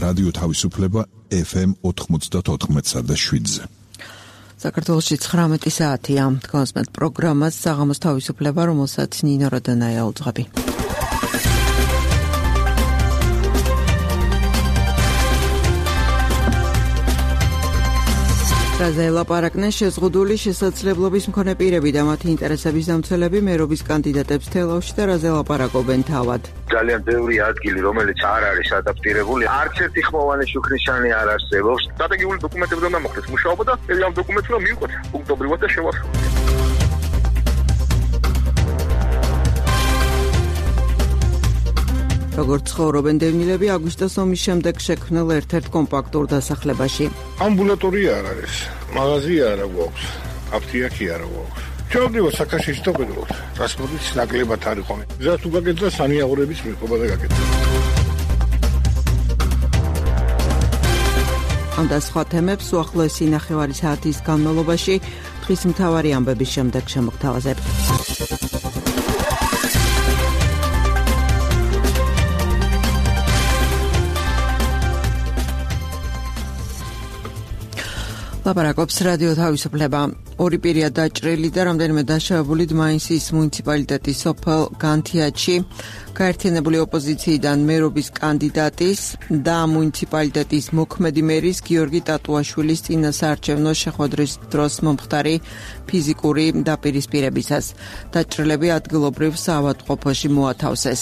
რადიო თავისუფლება FM 94.7-ზე. საქართველოში 19 საათია. თქვენს პროგრამას საღამოს თავისუფლება, რომელსაც ნინო როდანაია უძღვები. რაზე ელაპარაკნენ შეზღუდული შესაძლებლობის მქონე პირები და მათი ინტერესების დამცველები მერობის კანდიდატებს თელავში და რაზე ელაპარაკობენ თავად. ძალიან ბევრი ადგილი, რომელიც არ არის ადაპტირებული, არც ერთი ხმოვანი შუქნიშანი არ არსებობს. სტრატეგიული დოკუმენტები უნდა მოხდეს მუშაობა და ამ დოკუმენტს რომ მივიღოთ პუნქტობრივად და შევასრულოთ. როგორც ცხოვრობენ დევნილები აგვისტოს ომის შემდეგ შექმნილ ერთ-ერთ კომპაქტურ დასახლებაში. ამბულატორია არ არის, მაღაზია არ აქვს, აფთიაქი არ აქვს. ჩავდივარ საქაშიში და ვეძებოთ. ტრანსპორტის ნაკლებად არ იყო. გზა თუ გაკეთდა სანიაღურების მიღება და გაკეთდა. ამ და სხვა თემებს უახლოესი ნახევარი საათის განმავლობაში დღის მთავარი ამბების შემდეგ შემოგთავაზებთ. ლაპარაკობს რადიო თავისუფლება. ორი პირია დაჭრილი და რამდენიმე დაშავებული დმაინსის მუნიციპალიტეტის სოფელ განთიაჩი გაერთიანებული ოპოზიციიდან მერობის კანდიდატის და მუნიციპალიტეტის მოქმედი მერის გიორგი ტატუაშვილის წინასაარჩევნო შეხვედრის დროს მომხდარი ფიზიკური დაპირისპირებისას. დაჭრილები ადგილობრივ საავადმყოფოში მოათავსეს.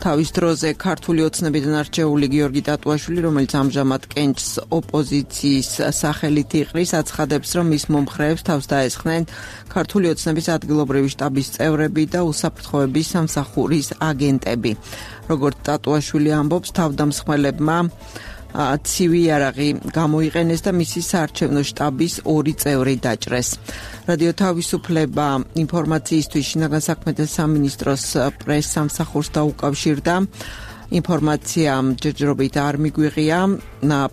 თავის დროზე ქართული ოცნებიდან არჩეული გიორგი ტატუაშვილი, რომელიც ამჟამად კენჭს ოპოზიციის სახელით იყრის, აცხადებს, რომ მის მომხრეებს თავს დაესხნენ ქართული ოცნების ადგილობრივი შტაბის წევრები და უსაფრთხოების სამსახურის აგენტები. როგორც ტატუაშვილი ამბობს, თავდამსხმელებმა ცივი იარაღი გამოიყენეს და მისი საარჩევნო შტაბის 2 წევრი დაჭრეს. რადიო თავისუფლება ინფორმაციისთვის შინაგან საქმეთა სამინისტროს პრეს-სამსახურს დაუკავშირდა. ინფორმაცია ჯერჯერობით არ მიგვიღია,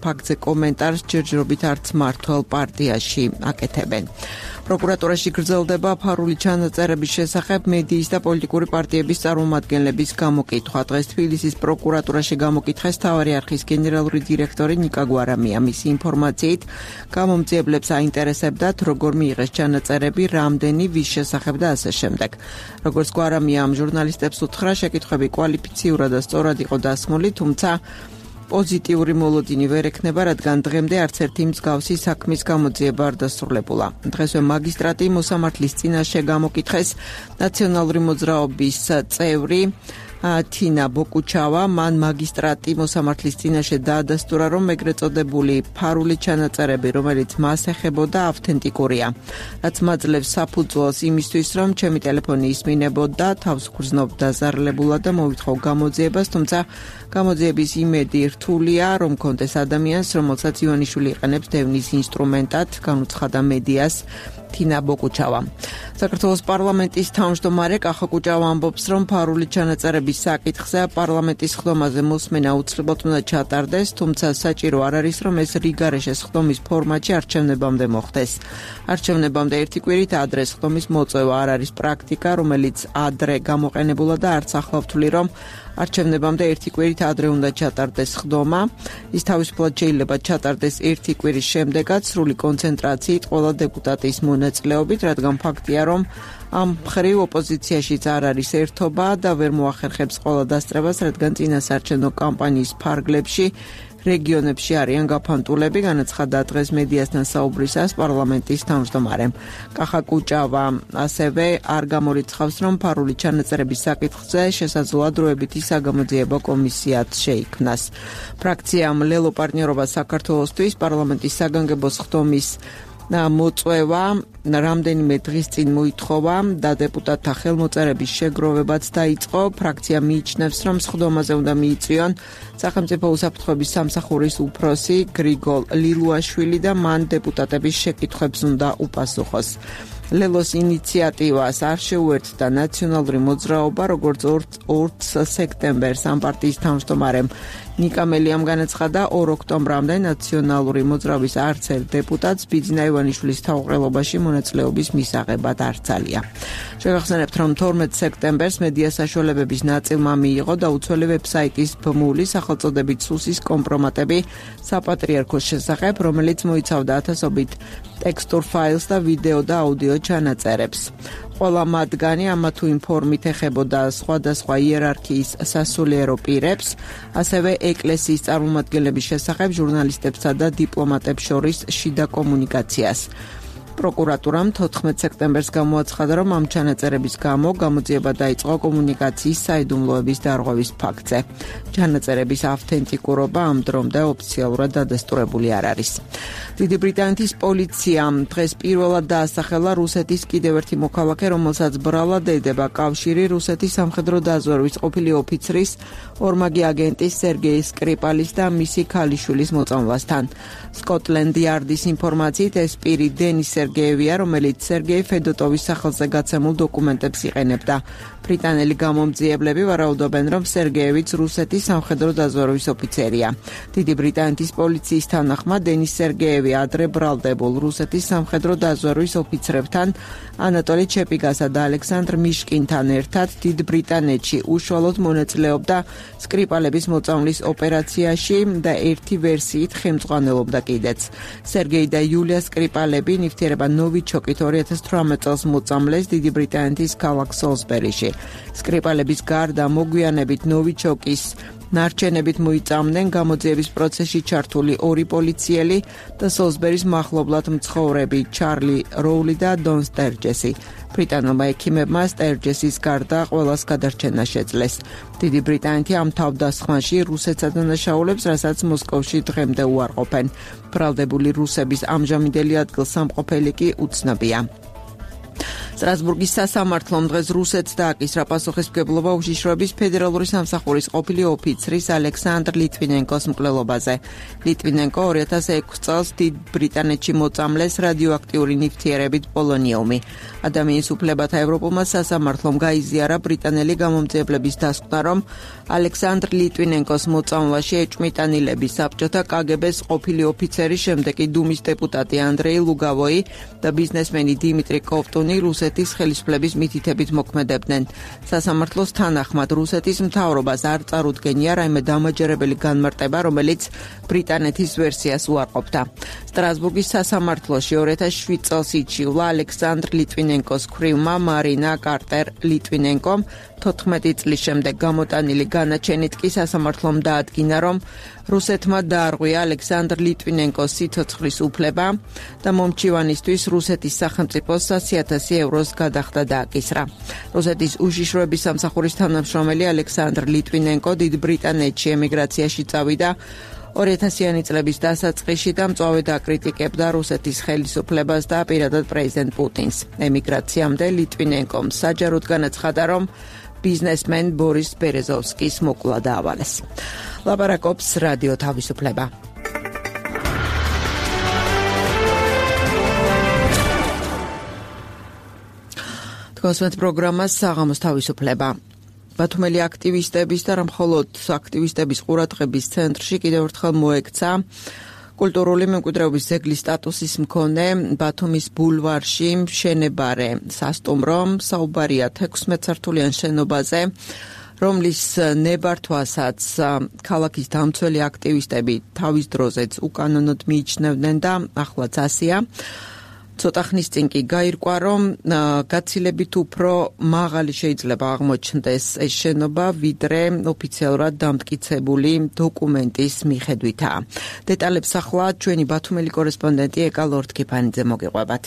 ფაქტზე კომენტარს ჯერჯერობით არც მართლ პარტიაში აკეთებენ. პროკურატურაში გრძელდება ფარული ჩანაწერების შესახებ მედიის და პოლიტიკური პარტიების წარმომადგენლების გამოკითხვა. დღეს თბილისის პროკურატურაში გამოკითხეს მთავარი არქივის გენერალური დირექტორი ნიკა გვარამია. მისი ინფორმაციით გამომძიებლებს აინტერესებდათ, როგორ მიიღეს ჩანაწერები, რამდენი, ვის შესახებ და ასე შემდეგ. როგორც გვარამია ამ ჟურნალისტებს უთხრა, შეკითხვები კვალიფიციურად და სწორად იყო დასმული, თუმცა პოზიტიური მოლოდინი ვერ ექნება, რადგან დღემდე არც ერთი მსგავსი საქმის გამოძიება არ დასრულებულა. დღესვე მაგისტრატი მოსამართლის წინაშე გამოკითხეს ნაციონალური მოძრაობის წევრი თინა ბოკუჩავა. მან მაგისტრატი მოსამართლის წინაშე დაადასტურა, რომ ეგრეთ წოდებული ფარული ჩანაწერები, რომელიც მას ეხებოდა, ავთენტიკურია. რაც მაძლევს საფუძველს იმისთვის, რომ ჩემი ტელეფონი ისმინებოდა, თავს გრძნობ დაზარლებულად და მოვითხოვ გამოძიებას, თუმცა გამოძიების იმედი რთულია, რომ კონდეს ადამიანს, რომელსაც ივანიშვილი იყენებს დევნის ინსტრუმენტად, განუცხადა მედიას თინა ბოკუჩავა. საქართველოს პარლამენტის თავმჯდომარე კახა კუჭავა ამბობს, რომ ფარული ჩანაწერების საკითხზე პარლამენტის ხდომაზე მოსმენა უცლებად უნდა ჩატარდეს, თუმცა საჭირო არ არის, რომ ეს რიგარეშეს ხდომის ფორმატში არჩევნებამდე მოხდეს. არჩევნებამდე ერთი კვირით ადრე ხდომის მოწევა არ არის პრაქტიკა, რომელიც ადრე გამოყენებულა და არც ახლა ვთვლი, რომ არჩევნებამდე ერთი კვირით ადრე უნდა ჩატარდეს ხდომა. ის თავისუფლად შეიძლება ჩატარდეს ერთი კვირის შემდეგაც სრული კონცენტრაციით ყველა დეპუტატის მონაწილეობით, რადგან ფაქტია, რომ ამ მხრივ ოპოზიციაშიც არ არის ერთობა და ვერ მოახერხებს ყველა დასწრებას, რადგან წინასაარჩევნო კამპანიის ფარგლებში რეგიონებში არიან გაფანტულები, განაცხადა დღეს მედიასთან საუბრისას პარლამენტის თავმჯდომარემ. კახა კუჭავა ასევე არ გამორიცხავს, რომ ფარული ჩანაწერების საკითხზე შესაძლოა დროებითი საგამოძიებო კომისიაც შეიქმნას. ფრაქციამ ლელო პარტნიორობა საქართველოსთვის პარლამენტის საგანგებო ხდომის მოწვევა რამდენიმე დღის წინ მოითხოვა და დეპუტატთა ხელმოწერების შეგროვებაც დაიწყო. ფრაქცია მიიჩნევს, რომ სხდომაზე უნდა მიიწვიონ სახელმწიფო უსაფრთხოების სამსახურის უფროსი გრიგოლ ლილუაშვილი და მან დეპუტატების შეკითხვებს უნდა უპასუხოს. ლელოს ინიციატივას არ შეუერთდა ნაციონალური მოძრაობა, როგორც 2 სექტემბერს ამ პარტიის თავმჯდომარემ ნიკა მელიამ განაცხადა, 2 ოქტომბრამდე ნაციონალური მოძრაობის არც ერთ დეპუტატს ბიძინა ივანიშვილის თავმჯდომარეობაში მონაწილეობის მისაღებად არ ცალია. შეგახსენებთ, რომ 12 სექტემბერს მედია საშუალებების ნაწილმა მიიღო დაუცველი ვებსაიტის ბმული სახელწოდებით სუსის კომპრომატები საპატრიარქოს შესახებ, რომელიც მოიცავდა ათასობით ტექსტურ ფაილს და ვიდეო და აუდიო ჩანაწერებს. ყველა მათგანი ამა თუ იმ ფორმით ეხებოდა სხვადასხვა იერარქიის სასულიერო პირებს, ასევე ეკლესიის წარმომადგენლების შესახებ ჟურნალისტებსა და დიპლომატებს შორის შიდა კომუნიკაციას. პროკურატურამ 14 სექტემბერს გამოაცხადა, რომ ამ ჩანაწერების გამო გამოძიება დაიწყო კომუნიკაციის საიდუმლოების დარღვევის ფაქტზე. ჩანაწერების ავთენტიკურობა ამ დრომდე ოფიციალურად დადასტურებული არ არის. დიდი ბრიტანეთის პოლიციამ დღეს პირველად დაასახელა რუსეთის კიდევ ერთი მოქალაქე, რომელსაც ბრალად ედება კავშირი რუსეთის სამხედრო დაზვერვის ყოფილი ოფიცრის, ორმაგი აგენტის სერგეი სკრიპალის და მისი ქალიშვილის მოწამვლასთან. სკოტლენდ იარდის ინფორმაციით ეს პირი დენის სერგეევია, რომელიც სერგეი ფედოტოვის სახელზე გაცემულ დოკუმენტებს იყენებდა. ბრიტანელი გამომძიებლები ვარაუდობენ, რომ სერგეევიც რუსეთის სამხედრო დაზვერვის ოფიცერია. დიდი ბრიტანეთის პოლიციის თანახმად დენის სერგეევი ადრე ბრალდებულ რუსეთის სამხედრო დაზვერვის ოფიცრებთან, ანატოლი ჩეპიგასა და ალექსანდრ მიშკინთან ერთად დიდ ბრიტანეთში უშუალოდ მონაწილეობდა სკრიპალების მოწამვლის ოპერაციაში და ერთი ვერსიით ხელმძღვანელობდა კიდეც. სერგეი და იულია სკრიპალები ნივთიერება ნოვიჩოკით 2018 წელს მოწამლეს დიდი ბრიტანეთის ქალაქ სოლსბერიში. სკრიპალების გარდა მოგვიანებით ნოვიჩოკის ნარჩენებით მოიწამდნენ გამოძიების პროცესში ჩართული ორი პოლიციელი და სოლსბერის მახლობლად მცხოვრები ჩარლი როული და დონ სტერჯესი. ბრიტანულმა ექიმებმა სტერჯესის გარდა ყველას გადარჩენა შეძლეს. დიდი ბრიტანეთი ამ თავდასხმაში რუსეთს ადანაშაულებს, რასაც მოსკოვში დღემდე უარყოფენ. ბრალდებული რუსების ამჟამინდელი ადგილსამყოფელი კი უცნობია. სტრასბურგის სასამართლომ დღეს რუსეთს დააკისრა პასუხისმგებლობა უშიშროების ფედერალური სამსახურის ყოფილი ოფიცრის ალექსანდრ ლიტვინენკოს მკვლელობაზე. ლიტვინენკო 2006 წელს დიდ ბრიტანეთში მოწამლეს რადიოაქტიური ნივთიერებით პოლონიუმი. ადამიანის უფლებათა ევროპულმა სასამართლომ გაიზიარა ბრიტანელი გამომძიებლების დასკვნა, რომ ალექსანდრ ლიტვინენკოს მოწამვლაში ეჭვმიტანილები საბჭოთა კგბ-ს ყოფილი ოფიცერი, შემდეგ კი დუმის დეპუტატი ანდრეი ლუგავოი და ბიზნესმენი დიმიტრი კოვტუნი რუსეთის ხელისუფლების მითითებით მოქმედებდნენ. სასამართლოს თანახმად რუსეთის მთავრობას არ წარუდგენია რაიმე დამაჯერებელი განმარტება, რომელიც ბრიტანეთის ვერსიას უარყოფდა. სტრასბურგის სასამართლოში 2007 წელს იჩივლა ალექსანდრ ლიტვინენკოს ქვრივმა მარინა კარტერ ლიტვინენკომ 14 წლის შემდეგ გამოტანილი განაჩენით კი სასამართლომ დაადგინა, რომ რუსეთმა დაარღვია ალექსანდრ ლიტვინენკოს სიცოცხლის უფლება და მომჩივანისთვის რუსეთის სახელმწიფოს 100,000 ევროს გადახდა დააკისრა. რუსეთის უშიშროების სამსახურის თანამშრომელი ალექსანდრ ლიტვინენკო დიდ ბრიტანეთში ემიგრაციაში წავიდა 2000-იანი წლების დასაწყისში და მწვავედ აკრიტიკებდა რუსეთის ხელისუფლებას და პირადად პრეზიდენტ პუტინს. ემიგრაციამდე ლიტვინენკომ საჯაროდ განაცხადა, რომ ბიზნესმენ ბორის ბერეზოვსკის მოკლა დაავალეს. ლაპარაკობს რადიო თავისუფლება. თქვენს პროგრამას საღამოს თავისუფლება. ბათუმელი აქტივისტების და მხოლოდ აქტივისტების ყურადღების ცენტრში კიდევ ერთხელ მოექცა კულტურული მემკვიდრეობის ძეგლის სტატუსის მქონე ბათუმის ბულვარში მშენებარე სასტუმრო. საუბარია 16 სართულიან შენობაზე, რომლის ნებართვასაც ქალაქის დამცველი აქტივისტები თავის დროზეც უკანონოდ მიიჩნევდნენ და ახლაც ასია. ცოტა ხნის წინ კი გაირკვა, რომ გაცილებით უფრო მაღალი შეიძლება აღმოჩნდეს ეს შენობა, ვიდრე ოფიციალურად დამტკიცებული დოკუმენტის მიხედვითაა. დეტალებს ახლა ჩვენი ბათუმელი კორესპონდენტი ეკა ლორდ-კიფანიძე მოგიყვებათ.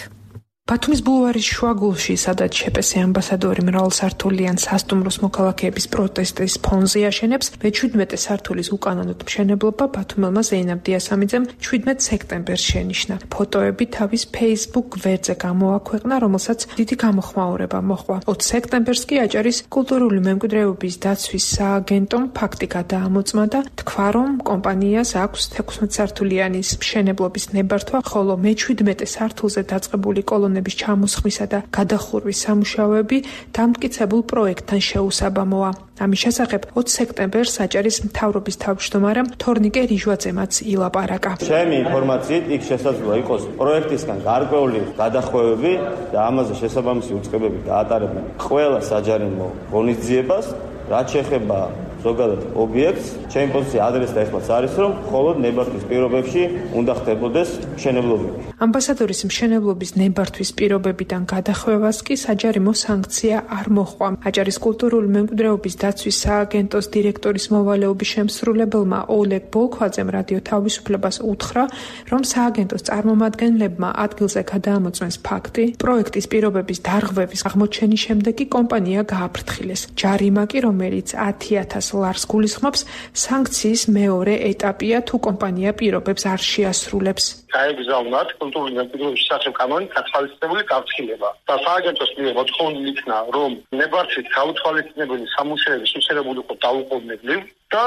ბათუმის ბულვარის შუაგულში, სადაც შეპესე ამბასადორი მრავალსართულიან სასტუმროს მოქალაქეების პროტესტის ფონზე აშენებს, მე-17 სართულის უკანონოდ მშენებლობა ბათუმელმა ზეინაბ დიასამიძემ 17 სექტემბერს შენიშნა. ფოტოები თავის Facebook გვერდზე გამოაქვეყნა, რომელსაც დიდი გამოხმაურება მოჰყვა. 20 სექტემბერს კი აჭარის კულტურული მემკვიდრეობის დაცვის სააგენტომ ფაქტი გადაამოწმა და თქვა, რომ კომპანიას აქვს 16 სართულიანი მშენებლობის ნებართვა, ხოლო მე-17 სართულზე დაწყებული კოლონიზაცია ხელოვნების ჩამოსხმისა და გადახურვის სამუშაოები დამტკიცებულ პროექტთან შეუსაბამოა. ამის შესახებ 20 სექტემბერს საჭერის მთავრობის თავმჯდომარემ თორნიკე რიჟვაძემაც ილაპარაკა. ჩემი ინფორმაციით იქ შესაძლოა იყოს პროექტისგან გარკვეული გადახვევები და ამაზე შესაბამისი უწყებები დაატარებენ ყველა საჯარიმო ღონისძიებას, რაც შეეხება ზოგადად ობიექტს. ჩემი პოზიცია ადრეს და ეხლაც არის, რომ მხოლოდ ნებართვის პირობებში უნდა ხდებოდეს მშენებლობები. ამბასადორის მშენებლობის ნებართვის პირობებიდან გადახვევას კი საჯარიმო სანქცია არ მოჰყვა. აჭარის კულტურული მემკვიდრეობის დაცვის სააგენტოს დირექტორის მოვალეობის შემსრულებელმა ოლეგ ბოლქვაძემ რადიო თავისუფლებას უთხრა, რომ სააგენტოს წარმომადგენლებმა ადგილზე გადაამოწმეს ფაქტი, პროექტის პირობების დარღვევის აღმოჩენის შემდეგ კი კომპანია გააფრთხილეს. ჯარიმა კი, რომელიც 10,000 ლარს გულისხმობს, სანქციის მეორე ეტაპია, თუ კომპანია პირობებს არ შეასრულებს. გაეგზავნათ კულტურული მემკვიდრეობის შესახებ კანონით გათვალისწინებული გაფრთხილება და სააგენტოს მიერ მოთხოვნილი იქნა, რომ ნებართვით გაუთვალისწინებელი სამუშაოების მისაღებული იყო დაუყოვნებლივ და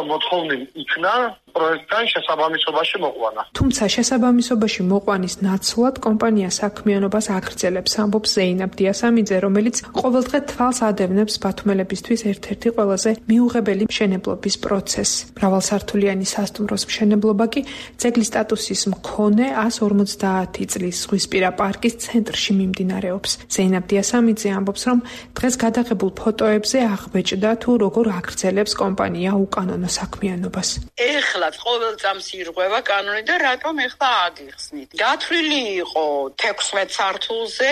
მოთხოვნილი იქნა პროექტთან შესაბამისობაში მოყვანა. თუმცა შესაბამისობაში მოყვანის ნაცვლად კომპანია საქმიანობას აგრძელებს, ამბობს ზეინაბ დიასამიძე, რომელიც ყოველდღე თვალს ადევნებს ბათუმელებისთვის ერთ-ერთი ყველაზე მიუღებელი მშენებლობის პროცესს. მრავალსართულიანი სასტუმროს მშენებლობა კი ძეგლის სტატუსის მქონე 150 წლის ზღვისპირა პარკის ცენტრში მიმდინარეობს. ზეინაბ დიასამიძე ამბობს, რომ დღეს გადაღებულ ფოტოებზე აღბეჭდა თუ როგორ აგრძელებს კომპანია უკანონო საქმიანობას. ეხლაც ყოველ წამს ირღვევა კანონი და რატომ ეხლა აგიხსნით? გათვლილი იყო 16 სართულზე,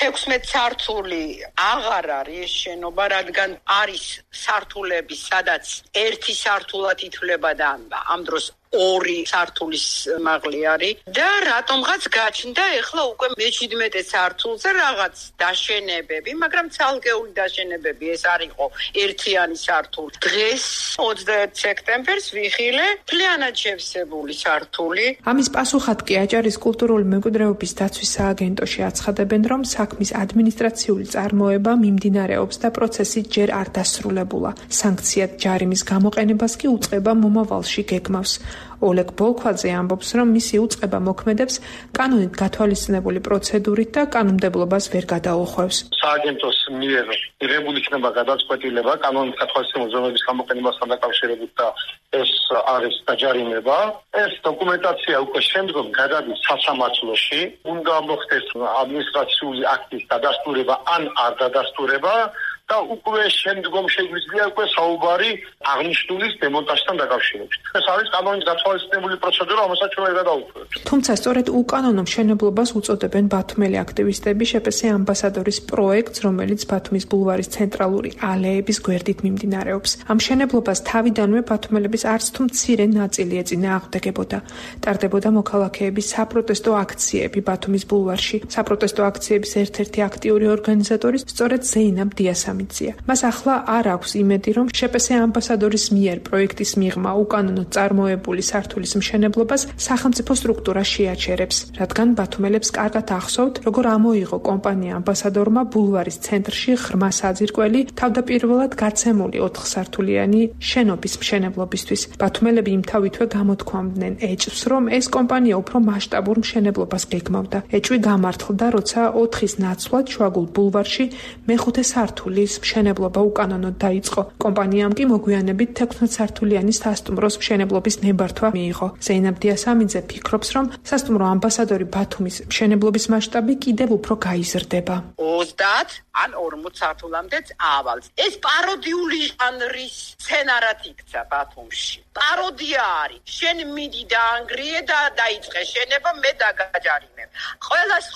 16 სართული აღარ არის შენობა, რადგან არის სართულები, სადაც ერთი სართულად ითვლება და ამ დროს 2 სართულის მაღალი არის და რატომღაც გაჩნდა ეხლა უკვე მე-17 სართულზე რაღაც დაშენებები, მაგრამ ცალკეული დაშენებები ეს არ იყო ერთიანი სართული. დღეს 21 სექტემბერს ვიხილე მთლიანად შევსებული სართული. ამის პასუხად კი აჭარის კულტურული მემკვიდრეობის დაცვის სააგენტოში აცხადებენ, რომ საქმის ადმინისტრაციული წარმოება მიმდინარეობს და პროცესი ჯერ არ დასრულებულა. სანქციად ჯარიმის გამოყენებას კი უწყება მომავალში გეგმავს. ოლეგ ბოლქვაძე ამბობს, რომ მისი უწყება მოქმედებს კანონით გათვალისწინებული პროცედურით და კანონმდებლობას ვერ გადაუხვევს. სააგენტოს მიერ მიღებული იქნება გადაწყვეტილება კანონით გათვალისწინებული ზომების გამოყენებასთან დაკავშირებით და ეს არის დაჯარიმება. ეს დოკუმენტაცია უკვე შემდგომ გადადის სასამართლოში. უნდა მოხდეს ადმინისტრაციული აქტის დადასტურება ან არ დადასტურება. და უკვე შემდგომ შეგვიძლია უკვე საუბარი აღნიშნულის დემონტაჟთან დაკავშირებით. ეს არის კანონით გათვალისწინებული პროცედურა, რომელსაც ჩვენ ვერ გადავუშვებთ. თუმცა სწორედ უკანონო მშენებლობას უწოდებენ ბათუმელი აქტივისტები შეპესე ამბასადორის პროექტს, რომელიც ბათუმის ბულვარის ცენტრალური ალეების გვერდით მიმდინარეობს. ამ მშენებლობას თავიდანვე ბათუმელების არც თუ მცირე ნაწილი ეწინააღმდეგებოდა. ტარდებოდა მოქალაქეების საპროტესტო აქციები ბათუმის ბულვარში. საპროტესტო აქციების ერთ-ერთი აქტიური ორგანიზატორი სწორედ ზეინაბ დიასამიძე. მას ახლა არ აქვს იმედი, რომ შეპესე ამბასადორის მიერ პროექტის მიღმა უკანონოდ წარმოებული სართულის მშენებლობას სახელმწიფო სტრუქტურა შეაჩერებს, რადგან ბათუმელებს კარგად ახსოვთ, როგორ ამოიღო კომპანია ამბასადორმა ბულვარის ცენტრში ღრმა საძირკველი თავდაპირველად გაცემული 4 სართულიანი შენობის მშენებლობისთვის. ბათუმელები იმთავითვე გამოთქვამდნენ ეჭვს, რომ ეს კომპანია უფრო მასშტაბურ მშენებლობას გეგმავდა. ეჭვი გამართლდა, როცა 4-ის ნაცვლად შუაგულ ბულვარში მე-5 სართული მშენებლობა უკანონოდ დაიწყო. კომპანიამ კი მოგვიანებით 16 სართულიანი სასტუმროს მშენებლობის ნებართვა მიიღო. ზეინაბ დიასამიძე ფიქრობს, რომ სასტუმრო ამბასადორი ბათუმის მშენებლობის მასშტაბი კიდევ უფრო გაიზრდება. 30 ან 40 სართულამდეც ავალს. ეს პაროდიული ჟანრის სცენარად იქცა ბათუმში. პაროდია არის. შენ მიდი დაანგრიე და დაიწყე შენება, მე დაგაჯარიმებ.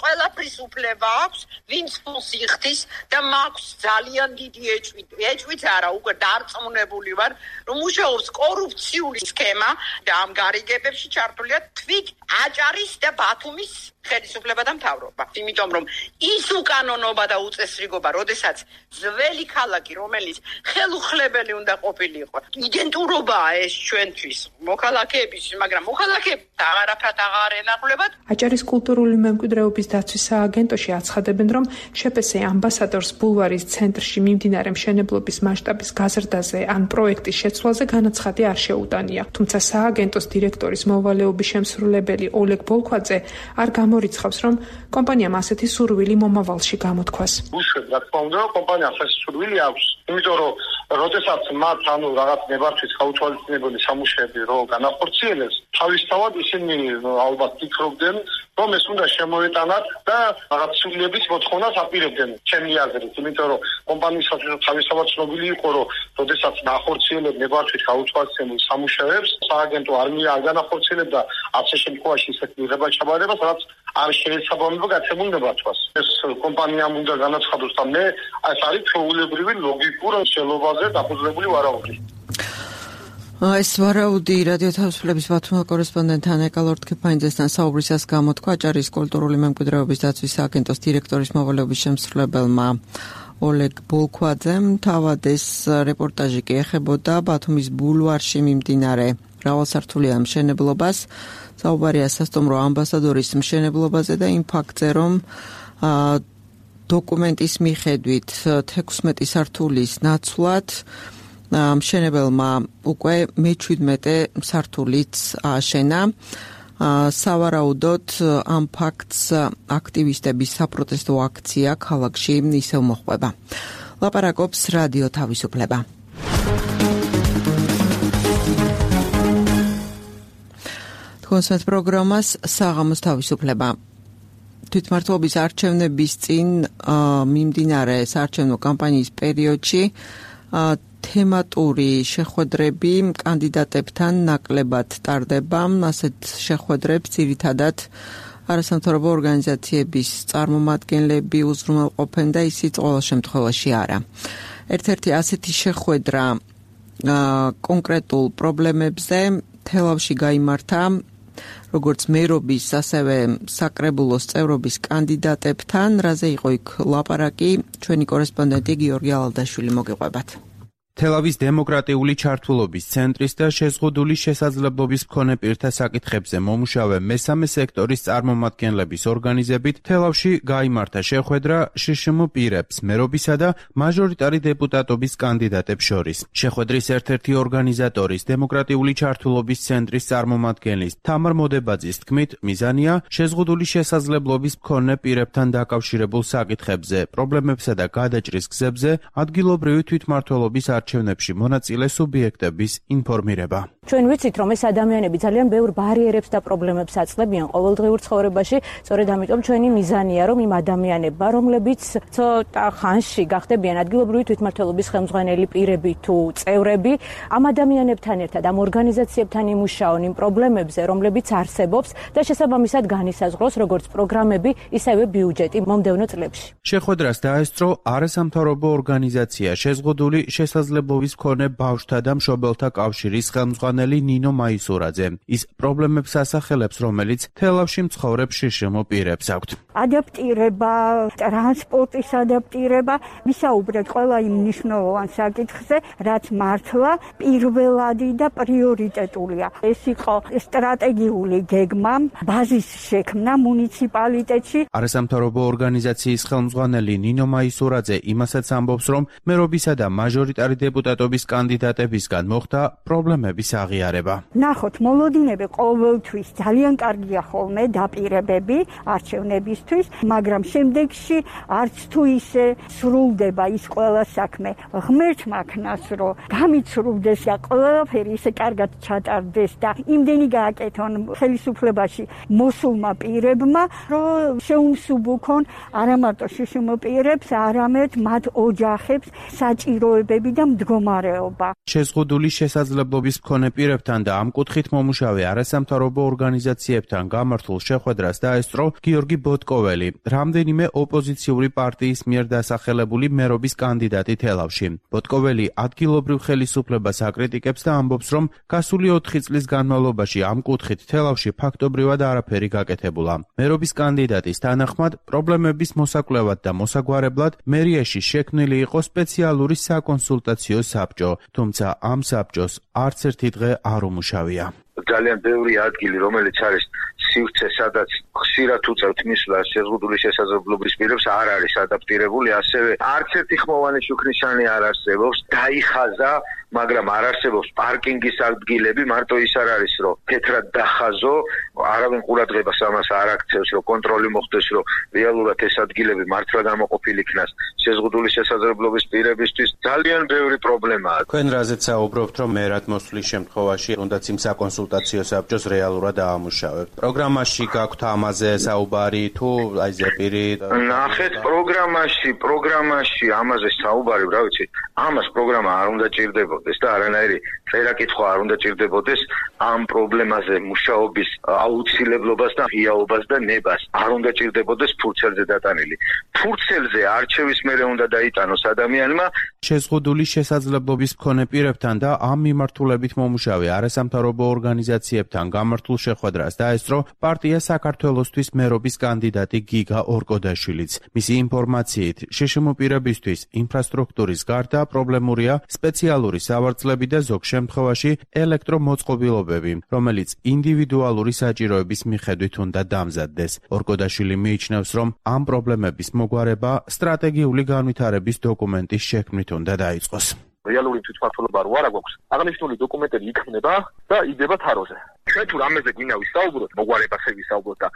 ყველაფრის უფლება აქვს, ვინც ფულს იხდის და მაქვს ძალიან დიდი ეჭვი. ეჭვით არა, უკვე დარწმუნებული ვარ, რომ მუშაობს კორუფციული სქემა და ამ გარიგებებში ჩართულია თვით აჭარის და ბათუმის ხელისუფლება და მთავრობა. იმიტომ რომ ის უკანონობა და უწესრიგობა, როდესაც ძველი ქალაქი, რომელიც ხელუხლებელი უნდა ყოფილიყო, იდენტურობაა ეს ჩვენთვის მოქალაქეების, მაგრამ მოქალაქეებს აღარაფრად აღარ ენახულებათ. აჭარის კულტურული მემკვიდრეობის დაცვის სააგენტოში აცხადებენ, რომ შეპესე ამბასადორს ბულვარის ცენტრში მიმდინარე მშენებლობის მასშტაბის გაზრდაზე ან პროექტის შეცვლაზე განაცხადი არ შეუტანია. თუმცა სააგენტოს დირექტორის მოვალეობის შემსრულებელი ოლეგ ბოლქვაძე არ ამორიცხავს, რომ კომპანიამ ასეთი სურვილი მომავალში გამოთქვას. უშვებ, რა თქმა უნდა, კომპანიას ეს სურვილი აქვს, იმიტომ რომ როდესაც მათ რაღაც ნებართვის გაუთვალისწინებელი სამუშაოები რო განახორციელებს, თავისთავად ისინი ალბათ ფიქრობდნენ, რომ ეს უნდა შემოეტანათ და რაღაც სრულების მოთხოვნას აპირებდნენ ჩემი აზრით, იმიტომ რომ კომპანიისათვის თავისთავად ცნობილი იყო, რომ როდესაც ნახორციელებ ნებართვის გაუთვალისწინებელ სამუშაოებს, სააგენტო არმია არ განახორციელებდა ასე შემთხვევაში ისეთ მიღება-ჩაბარებას, რაც არ შეესაბამება გაცემულ ნებართვას. ეს კომპანიამ უნდა განაცხადოს და მე ეს არის ჩვეულებრივი ლოგიკურ ხელობაზე დაფუძნებული ვარაუდი. ეს ვარაუდი რადიო თავისუფლების ბათუმის კორესპონდენტ ანე კალორტ-ქეფანიძესთან საუბრისას გამოთქვა აჭარის კულტურული მემკვიდრეობის დაცვის სააგენტოს დირექტორის მოვალეობის შემსრულებელმა ოლეგ ბოლქვაძემ. თავად ეს რეპორტაჟი კი ეხებოდა ბათუმის ბულვარში მიმდინარე მრავალსართულიან მშენებლობას. საუბარია სასტუმრო ამბასადორის მშენებლობაზე და იმ ფაქტზე, რომ დოკუმენტის მიხედვით 16 სართულის ნაცვლად მშენებელმა უკვე მე-17 სართულიც ააშენა. სავარაუდოდ ამ ფაქტს აქტივისტების საპროტესტო აქცია ქალაქში ისევ მოჰყვება. ლაპარაკობს რადიო თავისუფლება. კონსერტ პროგრამას საღამოს თავისუფლება. თვითმმართველობის არჩევნების წინ მიმდინარე საარჩევნო კამპანიის პერიოდში თემატური შეხვედრები კანდიდატებთან ნაკლებად ტარდება. ასეთ შეხვედრებს ძირითადად არასამთავრობო ორგანიზაციების წარმომადგენლები უზრუნველყოფენ და ისიც ყოველ შემთხვევაში არა. ერთ-ერთი ასეთი შეხვედრა კონკრეტულ პრობლემებზე თელავში გაიმართა როგორც მერობის, ასევე საკრებულოს წევრობის კანდიდატებთან, რაზე იყო იქ ლაპარაკი, ჩვენი კორესპონდენტი გიორგი ალალდაშვილი მოგიყვებათ. თელავის დემოკრატიული ჩართულობის ცენტრის და შეზღუდული შესაძლებლობის მქონე პირთა საკითხებზე მომუშავე მესამე სექტორის წარმომადგენლების ორგანიზებით თელავში გაიმართა შეხვედრა შშმ პირებს, მერობისა და მაჟორიტარი დეპუტატობის კანდიდატებს შორის. შეხვედრის ერთ-ერთი ორგანიზატორის დემოკრატიული ჩართულობის ცენტრის წარმომადგენლის თამარ მოდებაძის თქმით, მიზანია შეზღუდული შესაძლებლობის მქონე პირებთან დაკავშირებულ საკითხებზე, პრობლემებსა და გადაჭრის გზებზე ადგილობრივი თვითმმართველობის არჩევნებში მონაწილე სუბიექტების ინფორმირება. ჩვენ ვიცით, რომ ეს ადამიანები ძალიან ბევრ ბარიერებს და პრობლემებს აწყდებიან ყოველდღიურ ცხოვრებაში, სწორედ ამიტომ ჩვენი მიზანია, რომ იმ ადამიანებმა, რომლებიც ცოტა ხანში გახდებიან ადგილობრივი თვითმმართველობის ხელმძღვანელი პირები თუ წევრები, ამ ადამიანებთან ერთად ამ ორგანიზაციებთან იმუშაონ იმ პრობლემებზე, რომლებიც არსებობს და შესაბამისად განისაზღვროს როგორც პროგრამები, ისევე ბიუჯეტი მომდევნო წლებში. შეხვედრას დაესწრო არასამთავრობო ორგანიზაცია შეზღუდული შესაძლებლობის მქონე ბავშვთა და მშობელთა კავშირის ხელმძღვანელი ნინო მაისურაძე. ის პრობლემებს ასახელებს, რომელიც თელავში მცხოვრებ შშმ პირებს აქვთ. ადაპტირება, ტრანსპორტის ადაპტირება, ვისაუბრეთ ყველა იმ მნიშვნელოვან საკითხზე, რაც მართლა პირველადი და პრიორიტეტულია. ეს იყო სტრატეგიული გეგმა, ბაზის შექმნა მუნიციპალიტეტში. არასამთავრობო ორგანიზაციის ხელმძღვანელი ნინო მაისურაძე იმასაც ამბობს, რომ მერობისა და მაჟორიტარი დეპუტატობის კანდიდატებისგან მოხდა პრობლემების აღიარება. ნახოთ, მოლოდინები ყოველთვის ძალიან კარგია ხოლმე დაპირებები არჩევნებისთვის, მაგრამ შემდეგში არც თუ ისე სრულდება ის ყველა საქმე. ღმერთმა ქნას, რომ გამიცრუდეს და ყველაფერი ისე კარგად ჩატარდეს და იმდენი გააკეთონ ხელისუფლებაში მოსულმა პირებმა, რომ შეუმსუბუქონ არა მარტო შშმ პირებს, არამედ მათ ოჯახებს საჭიროებები და მდგომარეობა. შეზღუდული შესაძლებლობის მქონე პირებთან და ამ კუთხით მომუშავე არასამთავრობო ორგანიზაციებთან გამართულ შეხვედრას დაესწრო გიორგი ბოტკოველი, რამდენიმე ოპოზიციური პარტიის მიერ დასახელებული მერობის კანდიდატი თელავში. ბოტკოველი ადგილობრივ ხელისუფლებას აკრიტიკებს და ამბობს, რომ გასული 4 წლის განმავლობაში ამ კუთხით თელავში ფაქტობრივად არაფერი გაკეთებულა. მერობის კანდიდატის თანახმად, პრობლემების მოსაკვლევად და მოსაგვარებლად მერიაში შექმნილი იყო სპეციალური საკონსულტაციო საბჭო, თუმცა ამ საბჭოს არც ერთი დღე არ უმუშავია. ძალიან ბევრი ადგილი, რომელიც არის სივრცე, სადაც ხშირად უწევთ მისვლა შეზღუდული შესაძლებლობის პირებს, არ არის ადაპტირებული, ასევე არც ერთი ხმოვანი შუქნიშანი არ არსებობს. დაიხაზა მაგრამ არ არსებობს პარკინგის ადგილები, მარტო ის არ არის, რომ თეთრად დახაზო, არავინ ყურადღებას ამას არ აქცევს, რომ კონტროლი მოხდეს, რომ რეალურად ეს ადგილები მართლა გამოყოფილი იქნას შეზღუდული შესაძლებლობის პირებისთვის. ძალიან ბევრი პრობლემაა. თქვენ რაზეც საუბრობთ, რომ მერად მოსვლის შემთხვევაში თუნდაც იმ საკონსულტაციო საბჭოს რეალურად აამუშავებთ. პროგრამაში გაქვთ ამაზე საუბარი თუ აი ზეპირი? ნახეთ, პროგრამაში ამაზე საუბარი, რა ვიცი, ამას პროგრამა არ უნდა ჭირდებოდეს და არანაირი წერა-კითხვა არ უნდა ჭირდებოდეს ამ პრობლემაზე მუშაობის აუცილებლობას და ღიაობას და ნებას. არ უნდა ჭირდებოდეს ფურცელზე დატანილი. ფურცელზე არჩევის მერე უნდა დაიტანოს ადამიანმა შეზღუდული შესაძლებლობის მქონე პირებთან და ამ მიმართულებით მომუშავე არასამთავრობო ორგანიზაციებთან გამართულ შეხვედრას დაესწრო პარტია საქართველოსთვის მერობის კანდიდატი გიგა ორკოდაშვილიც. მისი ინფორმაციით, შშმ პირებისთვის ინფრასტრუქტურის გარდა პრობლემურია სპეციალური სავარძლები და ზოგ შემთხვევაში ელექტრომოწყობილობები, რომელიც ინდივიდუალური საჭიროების მიხედვით უნდა დამზადდეს. ორკოდაშვილი მიიჩნევს, რომ ამ პრობლემების მოგვარება სტრატეგიული განვითარების დოკუმენტის შექმნით უნდა დაიწყოს. რეალური თვითმმართველობა რო არა გვაქვს, აღნიშნული დოკუმენტები იქმნება და იდება თაროზე. ჩვენ თუ რამეზე გვინდა ვისაუბროთ, მოგვარებაზე ვისაუბროთ და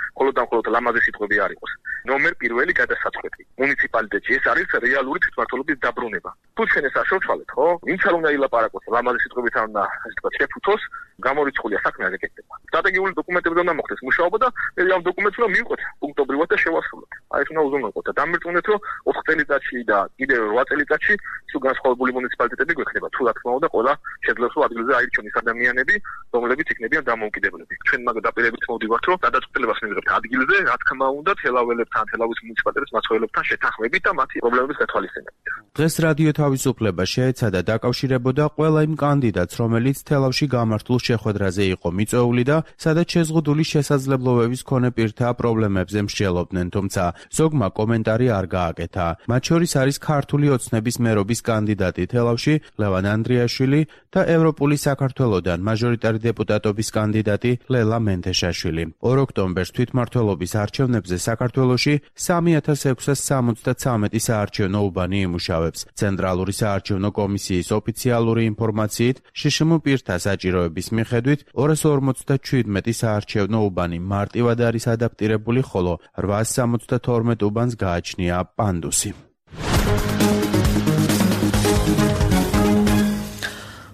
მხოლოდ ლამაზი სიტყვები არ იყოს. ნომერ პირველი გადასაწყვეტი. მუნიციპალიტეტში ეს არის რეალური თვითმმართველობის დაბრუნება. თუ ჩვენ ეს არ შევცვალეთ, ხო? ვინც არ უნდა ილაპარაკოს ლამაზი სიტყვებით ან ასე თქვა შეფუთოს, გამორიცხულია საქმე არ ეკეთება. სტრატეგიული დოკუმენტები უნდა მოხდეს მუშაობა და მე ამ დოკუმენტს უნდა მივყოთ პუნქტობრივად და შევასრულოთ. აი ეს უნდა უზრუნველყოთ და დამერწმუნდეთ, რომ 4 წელიწადში და კიდევ 8 წელიწადში თუ განსხვავებული მუნიციპალიტეტები გვექნება. თუ რა თქმა უნდა, ყველა შეძლებს რომ ადგილზე აირჩიოს ადამიანები, რომლებიც იქნებიან დამოუკიდებლები. ჩვენ მაგ დაპირებით მოვდივართ, რომ გადაწყვეტილებას მივიღებთ ადგილზე, რა თქმა უნდა, თელაველებთან, თელავის მუნიციპალიტეტის მაცხოვრებლებთან შეთანხმებით და მათი პრობლემების გათვალისწინებით. დღეს რადიო თავისუფლება შეეცადა დაკავშირებოდა ყველა იმ კანდიდატს, რომელიც თელავში გამართულ შეხვედრაზე იყო მიწვეული და სადაც შეზღუდული შესაძლებლობების მქონე პირთა პრობლემებზე მსჯელობდნენ, თუმცა ზოგმა კომენტარი არ გააკეთა. მათ შორის არის ქართული ოცნების მერობის კანდიდატი თელავში ლევან ანდრიაშვილი და ევროპული საქართველოდან მაჟორიტარი დეპუტატობის კანდიდატი ლელა მენთეშაშვილი. 2 ოქტომბერს თვითმმართველობის არჩევნებზე საქართველოში 3673 საარჩევნო უბანი იმუშავებს. ცენტრალური საარჩევნო კომისიის ოფიციალური ინფორმაციით, შშმ პირთა საჭიროების მიხედვით 257 საარჩევნო უბანი მარტივად არის ადაპტირებული, ხოლო 872 უბანს გააჩნია პანდუსი.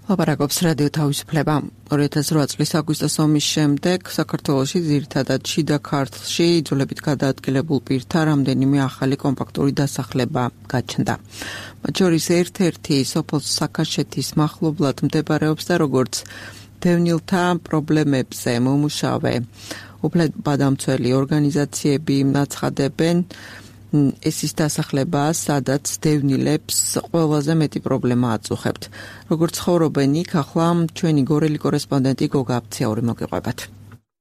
ლაპარაკობს რადიო თავისუფლება. 2008 წლის აგვისტოს ომის შემდეგ საქართველოში ძირითადად შიდა ქართლში იძულებით გადაადგილებულ პირთა რამდენიმე ახალი კომპაქტური დასახლება გაჩნდა. მათ შორის ერთ-ერთი სოფელ საქაშეთის მახლობლად მდებარეობს და როგორც დევნილთა პრობლემებზე მომუშავე უფლებადამცველი ორგანიზაციები აცხადებენ, ეს ის დასახლებაა, სადაც დევნილებს ყველაზე მეტი პრობლემა აწუხებთ. როგორც ცხოვრობენ იქ, ახლა ჩვენი გორელი კორესპონდენტი გოგა აფციაური მოგიყვებათ.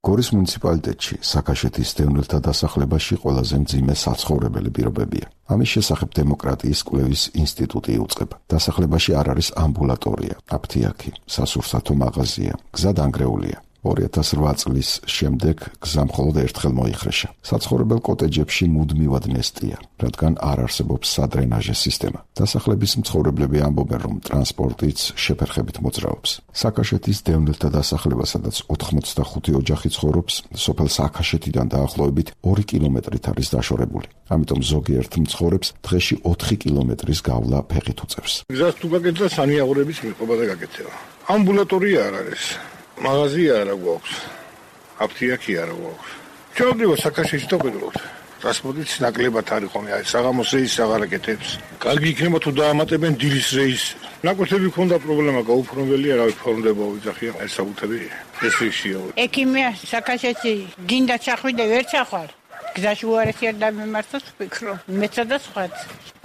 გორის მუნიციპალიტეტში საქაშეთის დევნილთა დასახლებაში ყველაზე მძიმე საცხოვრებელი პირობებია. ამის შესახებ დემოკრატიის კვლევის ინსტიტუტი იუწყება. დასახლებაში არ არის ამბულატორია, აფთიაქი, სასურსათო მაღაზია, გზა დანგრეულია. 2008 წლის შემდეგ გზა მხოლოდ ერთხელ მოიხრეშა. საცხოვრებელ კოტეჯებში მუდმივად ნესტია, რადგან არ არსებობს სადრენაჟე სისტემა. დასახლების მცხოვრებლები ამბობენ, რომ ტრანსპორტიც შეფერხებით მოძრაობს. საქაშეთის დევნილთა დასახლება, სადაც 85 ოჯახი ცხოვრობს, სოფელ საქაშეთიდან დაახლოებით 2 კილომეტრით არის დაშორებული. ამიტომ ზოგიერთ მცხოვრებს დღეში 4 კილომეტრის გავლა ფეხით უწევს. გზას თუ გაკეთდა სანიაღვრების მიღება და გაკეთება. ამბულატორია არ არის. მაღაზია არა გვაქვს, აფთიაქი არა გვაქვს. ჩავდივა საქაშეთში და ვიდროთ. ტრანსპორტიც ნაკლებად არ იყონია, საღამოს რეისს აღარ აკეთებს. კარგი იქნება თუ დაამატებენ დილის რეისს. ნაკვეთები ქონდა პრობლემა, გაუფრთხილებულია, რავი ფორმდება ვიძახია, ეს საბუთები ეს ისია. ექიმია საქაშეთში გინდა ჩახვიდე, ვერ ჩახვალ. გზაში უარესი არ დამემართოს ვფიქრო. მეცა და სხვაც.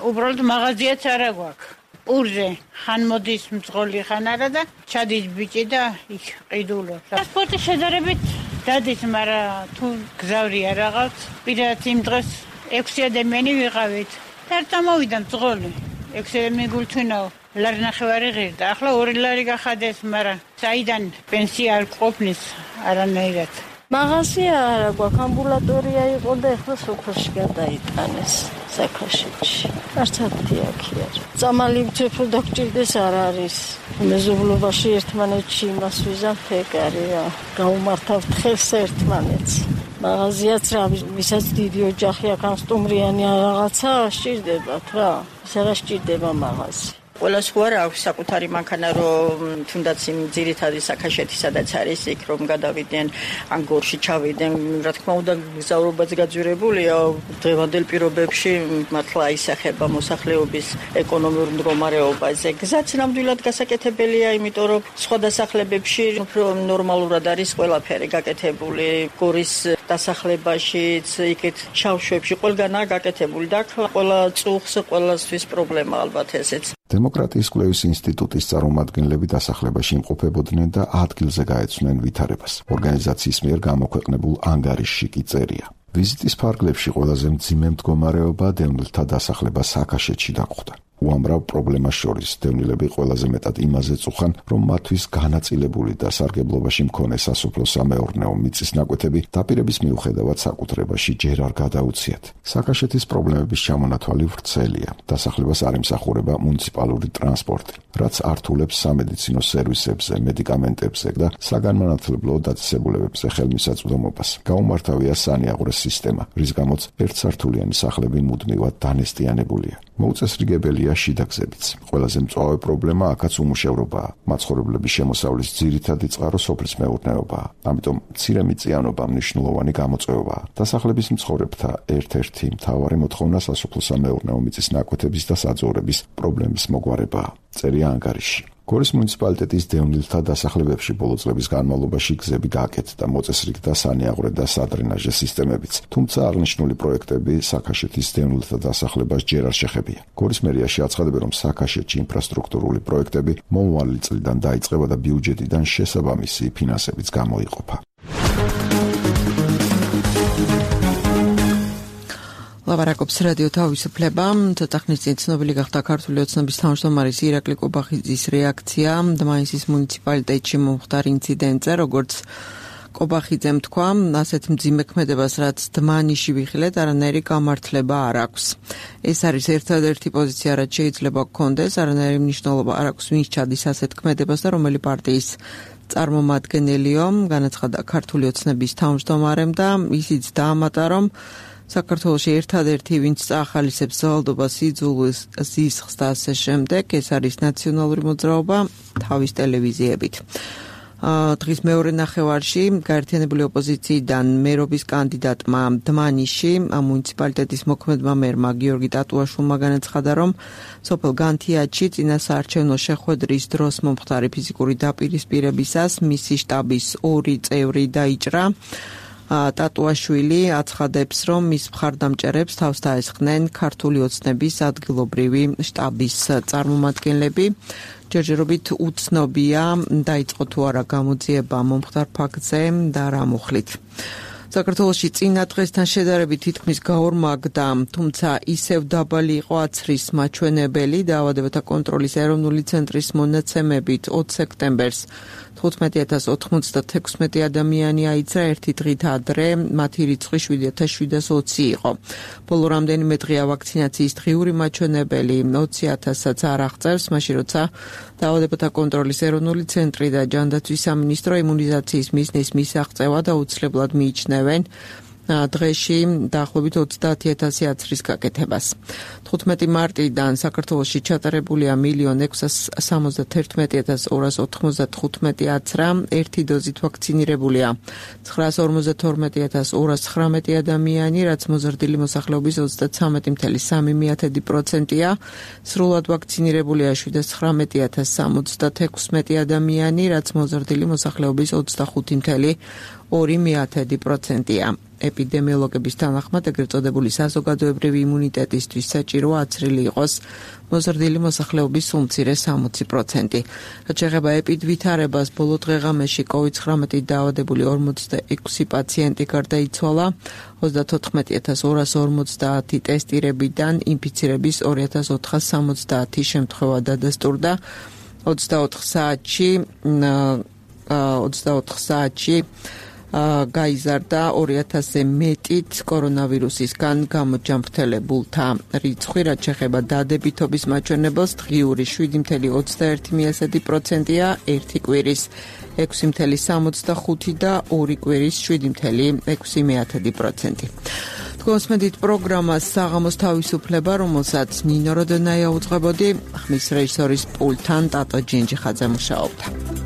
უბრალოდ მაღაზიაც არა გვაქვს. ურზე ხან მოდის მძღოლი ხან არა და ჩადის ბიჭი და იქ ყიდულობს. ტრანსპორტი შედარებით დადის, მაგრამ თუ გზავრი არ აღავს, პირად იმ დღეს 6 ადამიანი ვიყავით. და წამოვიდა მძღოლი. 6 ადამიანი გულთვინაო, ლარი ნახევარი ღირდა. ახლა 2 ლარი გახადეს, მაგრამ საიდან პენსია არ ყოფნის არანაირად. მაღაზია არა გვაქვს, ამბულატორია იყო და ეხლა სოფელში გადაიტანეს საქაშეთში. არც ათი აქი არ. წამალი ვცეფო და გჭირდეს არ არის. მეზობლობაში ერთმანეთში იმას ვიზამთ ეგარია. გაუმართავთ ხელს ერთმანეთს. მაღაზიაც რა, ვისაც დიდი ოჯახი აქვს, ან სტუმრიანი რაღაცა სჭირდებათ რა. ის არა სჭირდება მაღაზია. ყველას ხო არ აქვს საკუთარი მანქანა, რომ თუნდაც იმ ძირითადი საქაშეთი სადაც არის იქ რომ გადავიდნენ ან გორში ჩავიდნენ, რა თქმა უნდა გზავრობაც გაძვირებულია დღევანდელ პირობებში, მართლა ისახება მოსახლეობის ეკონომიურ მდგომარეობაზე. გზაც ნამდვილად გასაკეთებელია, იმიტომ რომ სხვა დასახლებებში უფრო ნორმალურად არის ყველაფერი გაკეთებული. გორის დასახლებაშიც, იქეთ შავშვებში ყველგანაა გაკეთებული და ყველა წუხს ყველასთვის პრობლემა ალბათ ესეც. დემოკრატიის კვლევის ინსტიტუტის წარმომადგენლები დასახლებაში იმყოფებოდნენ და ადგილზე გაეცნენ ვითარებას. ორგანიზაციის მიერ გამოქვეყნებულ ანგარიშში კი წერია. ვიზიტის ფარგლებში ყველაზე მძიმე მდგომარეობა დევნილთა დასახლება საქაშეთში დაგვხვდა. უამრავ პრობლემას შორის დევნილები ყველაზე მეტად იმაზე წუხან, რომ მათთვის განაწილებული და სარგებლობაში მქონე სასოფლო-სამეურნეო მიწის ნაკვეთები დაპირების მიუხედავად საკუთრებაში ჯერ არ გადაუციათ. საქაშეთის პრობლემების ჩამონათვალი ვრცელია. დასახლებას არ ემსახურება მუნიციპალური ტრანსპორტი, რაც ართულებს სამედიცინო სერვისებზე, მედიკამენტებზე და საგანმანათლებლო დაწესებულებებზე ხელმისაწვდომობას. გაუმართავია სანიაღვრეს სისტემა, რის გამოც ერთსართულიანი სახლები მუდმივად დანესტიანებულია. მოუწესრიგებელია შიდა გზებიც. ყველაზე მწვავე პრობლემა აქაც უმუშევრობაა. მაცხოვრებლების შემოსავლის ძირითადი წყარო სოფლის მეურნეობაა. ამიტომ მცირემიწიანობა მნიშვნელოვანი გამოწვევაა. დასახლების მცხოვრებთა ერთ-ერთი მთავარი მოთხოვნა სასოფლო-სამეურნეო მიწის ნაკვეთების და საძოვრების პრობლემის მოგვარებაა. წერია ანგარიში. გორის მუნიციპალიტეტის დევნილთა დასახლებებში ბოლო წლების განმავლობაში გზები გააკეთდა, მოწესრიგდა სანიაღვრე და სადრენაჟე სისტემებიც. თუმცა აღნიშნული პროექტები საქაშეთის დევნილთა დასახლებას ჯერ არ შეხებია. გორის მერიაში აცხადებენ, რომ საქაშეთში ინფრასტრუქტურული პროექტები მომავალი წლიდან დაიწყება და ბიუჯეტიდან შესაბამისი ფინანსებიც გამოიყოფა. ლაპარაკობს რადიო თავისუფლება. ცოტა ხნის წინ ცნობილი გახდა ქართული ოცნების თავმჯდომარის ირაკლი კობახიძის რეაქცია დმანისის მუნიციპალიტეტში მომხდარ ინციდენტზე, როგორც კობახიძემ თქვა, ასეთ მძიმე ქმედებას, რაც დმანიში ვიხილეთ, არანაირი გამართლება არ აქვს. ეს არის ერთადერთი პოზიცია, რაც შეიძლება გქონდეს, არანაირი მნიშვნელობა არ აქვს ვინც ჩადის ასეთ ქმედებას და რომელი პარტიის წარმომადგენელიო, განაცხადა ქართული ოცნების თავმჯდომარემ და ისიც დაამატა, რომ საქართველოში ერთადერთი ვინც წაახალისებს ძალადობას, იძულვის, ზისხს და ასე შემდეგ, ეს არის ნაციონალური მოძრაობა თავის ტელევიზიებით. დღის მეორე ნახევარში გაერთიანებული ოპოზიციიდან მერობის კანდიდატმა დმანიში მუნიციპალიტეტის მოქმედმა მერმა გიორგი ტატუაშვილმა განაცხადა, რომ სოფელ განთიაჩი წინა საარჩევნო შეხვედრის დროს მომხდარი ფიზიკური დაპირისპირებისას მისი შტაბის 2 წევრი დაიჭრა. ტატუაშვილი აცხადებს, რომ მის მხარდამჭერებს თავს დაესხნენ ქართული ოცნების ადგილობრივი შტაბის წარმომადგენლები. ჯერჯერობით უცნობია დაიწყო თუ არა გამოძიება მომხდარ ფაქტზე და რა მოხლით. საქართველოში წინა დღესთან შედარებით თითქმის გაორმაგდა, თუმცა ისევ დაბალი იყო აცრის მაჩვენებელი დაავადებათა კონტროლის ეროვნული ცენტრის მონაცემებით 20 სექტემბერს 15096 ადამიანი აიძრა, ერთი დღით ადრე მათი რიცხვი 7720 იყო. ბოლო რამდენიმე დღეა ვაქცინაციის დღიური მაჩვენებელი 20000-აც არ აღწევს, მაშინ როცა დაავადებათა კონტროლის ეროვნული ცენტრი და ჯანდაცვის სამინისტრო იმუნიზაციის მიზნის მისაღწევად აუცილებლად მიიჩნევენ დღეში დაახლოებით 30000 აცრის გაკეთებას. 15 მარტიდან საქართველოში ჩატარებულია 1,671,295 აცრა, ერთი დოზით ვაქცინირებულია 952,219 ადამიანი, რაც მოზრდილი მოსახლეობის 33.3%-ია. სრულად ვაქცინირებულია 719,076 ადამიანი, რაც მოზრდილი მოსახლეობის 25.2%-ია. ეპიდემიოლოგების თანახმად ეგრეთ წოდებული საზოგადოებრივი იმუნიტეტისთვის საჭიროა აცრილი იყოს მოზრდილი მოსახლეობის უმცირეს 60%. რაც შეეხება ეპიდვითარებას, ბოლო დღეღამეში COVID-19 დაავადებული 46 პაციენტი გარდაიცვალა, 34250 ტესტირებიდან ინფიცირების 2470 შემთხვევა დადასტურდა. 24 საათში გაიზარდა 2000-ზე მეტით კორონავირუსისგან გამოჯამრთელებულთა რიცხვი, რაც შეეხება დადებითობის მაჩვენებელს, დღიური 7.21%-ია, ერთი კვირის 6.65 და ორი კვირის 7.6%. გოსმედით პროგრამას საღამოს თავისუფლება, რომელსაც ნინო როდონაია უძღვებოდი, ხმის რეჟისორის პულტთან ტატო ჯინჯიხაძე მუშაობდა.